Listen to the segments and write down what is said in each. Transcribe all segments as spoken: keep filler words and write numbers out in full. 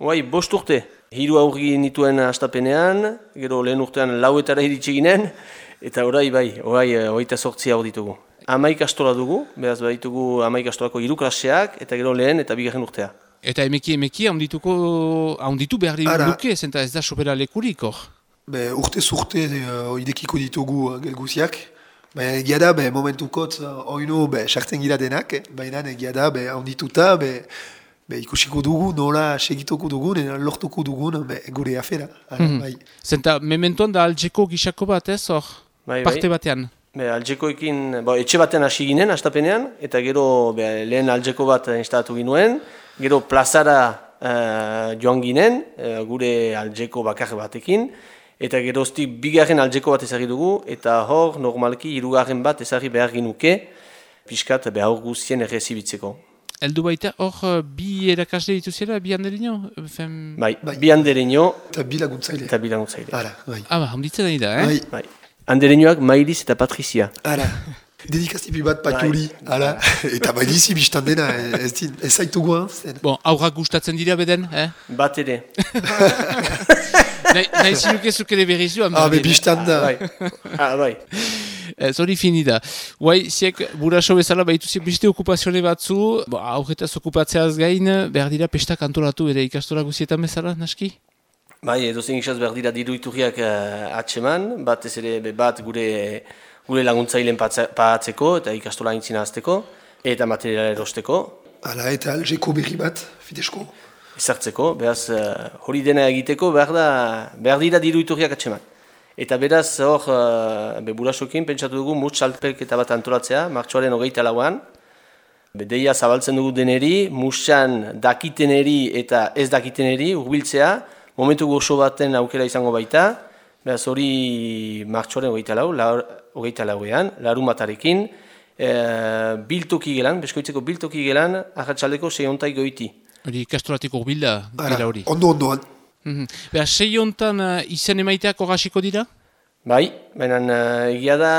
Oai, bost urte. Hiru aurri nituen astapenean, gero lehen urtean lauetara iritsi ginen, eta orai bai, orai hogeita zortzi hau ditugu. Hamaik astola dugu, beraz baditugu hamaik astolako hiru klaseak, eta gero lehen eta bigarren urtea. Eta emeki emeki haundituko, haunditu behar duke, zenta ez da sopera lekurik hor? Be, urte zurte uh, idekiko ditugu uh, gelguziak. Baina egia da, be, momentukot, uh, oinu sartzen gira denak, eh? Baina egia da, haundituta, be, be, ikusiko dugu, nola segituko dugun, lortuko dugun, be, gure afera. Ara, mm-hmm. bai. Zenta, mementoan da aljeko gisako bat ez hor? Bai, parte bai. Batean? Be, aljekoekin, bo, etxe batean hasi ginen, astapenean, eta gero be, lehen aljeko bat instalatu ginuen, gero plazara uh, joan ginen, uh, gure aljeko bakar batekin, eta geroztik bigarren aljeko bat ezagri dugu, eta hor, normalki, hirugarren bat ezagri behar ginuke, pixkat behar guztien errezibitzeko. Eldu baita, hor, bi erakasle dituzera, bi handereño? Fem... Bai, bai, bi handereño. Eta bi laguntzaile. Eta bi laguntzaile. Ara, bai. Ah, ba, handitzen nahi da, eh? Bai. Bai. Handereñoak Mailiz eta Patrizia. Ara. Dedikazipi bat paturi, hala, eta bailizi biztan dena, ez, ez zaitugu, zen. Bon, aurrak gustatzen dira beden, eh? Bat ere. Nahi zinukezuk ere berrizu, ah, be biztan da. Ah, bai. Zori fini da. Guai, ziek, buraso bezala, baituzik beste okupazione batzu, aurretaz okupatzeaz gain, behar dira pestak antolatu ere ikastola guzietan bezala, naski? Bai, edo zen isaz behar dira diru iturriak uh, atseman, bat ez ere, bat gure... gure laguntzaileen pahatzeko eta ikastola aintzina azteko, eta materiala erosteko. Hala, eta aljeko berri bat, fidesko? Ezartzeko, beraz, hori dena egiteko behar, da, behar dira diru iturriak atseman. Eta beraz, hor, uh, burasokin, pentsatu dugu, mutz salpelketa bat antolatzea, martxoaren hogeita lauan. Deia zabaltzen dugu deneri, mutzan dakiteneri eta ez dakiteneri, urbiltzea, momentu gozo baten aukera izango baita, beraz, hori martxoaren hogeita lau, hogeita lauean, larumatarekin, e, biltoki gelan, beskoitzeko biltoki gelan, ahatsaldeko seiontai goiti. Hori ikastolatiko bilda, gela hori. Ondo, ondoan. Mm-hmm. Beha, seiontan uh, izen emaiteak horrasiko dira? Bai, baina uh, egia da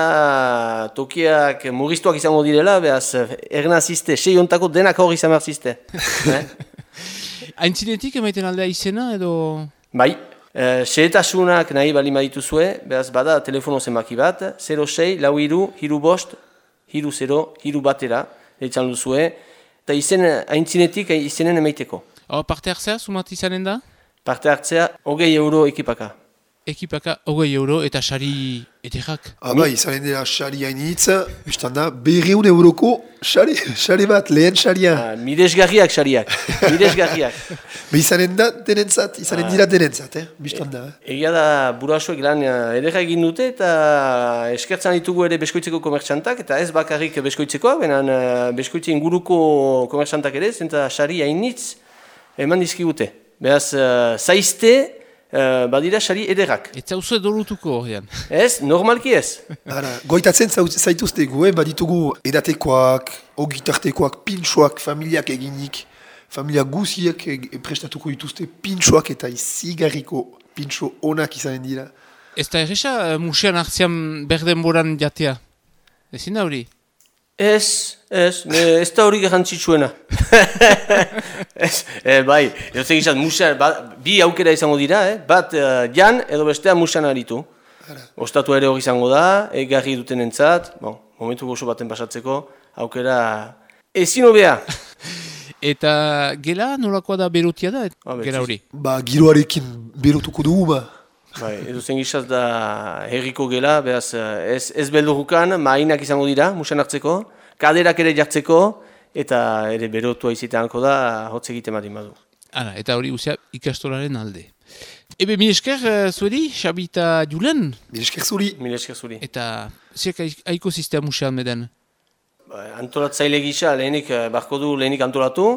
tokiak mugiztuak izango direla, behaz, ernazizte, seiontako denak hori izan behar eh? Aintzinetik emaiten aldea izena, edo... Bai. Uh, Sehetasunak nahi bali madituzue, behaz bada telefono zenbaki bat, zero sei, lau hiru, hiru bost, hiru zero, hiru batera, eitzan duzue, eta izen, aintzinetik izenen emaiteko. Oh, parte hartzea, sumat izanen da? Parte hartzea, hogei euro ekipaka. Ekipaka, hogei euro eta sari ederrak. Ah, bai, izanen dira sari hainitz, biztan da, berreun euroko sari, sari bat, lehen saria. Ah, miresgarriak sariak, miresgarriak. Be izanen da denentzat, izanen dira denentzat, eh? Biztan da. E, egia da, burasoek lan ederra egin dute eta eskertzan ditugu ere beskoitzeko komertxantak, eta ez bakarrik beskoitzekoak, benen beskoitze inguruko komertxantak ere, zenta sari hainitz eman dizkigute. Beraz, uh, zaizte, Uh, badira sari ederrak. Ez zauzu edolutuko horrean. Ez, normalki ez. Ara, goitatzen zaituztegu, eh? Baditugu edatekoak, ogitartekoak, pintxoak, familiak eginik, familia guziak prestatuko dituzte pintxoak eta izigarriko pintxo onak izanen dira. Ez da erresa musean hartzean berdenboran jatea? Ezin da hori? Ez, ez, ez da hori garrantzitsuena. e, bai, erotzen gizat, musean, ba, bi aukera izango dira, eh? Bat uh, jan edo bestea musean aritu. Ostatu ere hori izango da, egarri duten entzat, bon, momentu gozo baten pasatzeko, aukera ezin hobea. Eta gela nolakoa da berotia da, ah, gela hori? Ba, giroarekin berotuko dugu, ba. Bai, edozen gizaz da herriko gela, behaz ez, ez beldurukan, mainak izango dira, musean hartzeko, kaderak ere jartzeko, eta ere berotua iziteanko da, hotz egite madin badu. Ara, eta hori guztia ikastolaren alde. Ebe, mil esker zueri, Xabi eta Julen? Mil esker zuri. Mil esker zuri. Eta, ziak aiko ziztea musean meden? Ba, antolatzaile gisa, lehenik, barko du lehenik antolatu,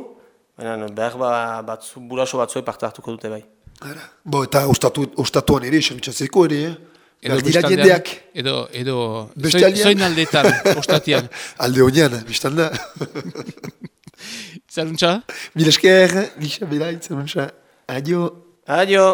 baina behar batzu, buraso batzue parte hartuko dute bai. Ara. Bo, eta ostatu, ostatuan ere, xamitzatzeko ere, eh? Edo jendeak. Edo, edo, zoin, zoin aldeetan, ostatian. Alde honian, biztan da. Zaluntza? Mil esker, gisa bera, zaluntza. Adio. Adio.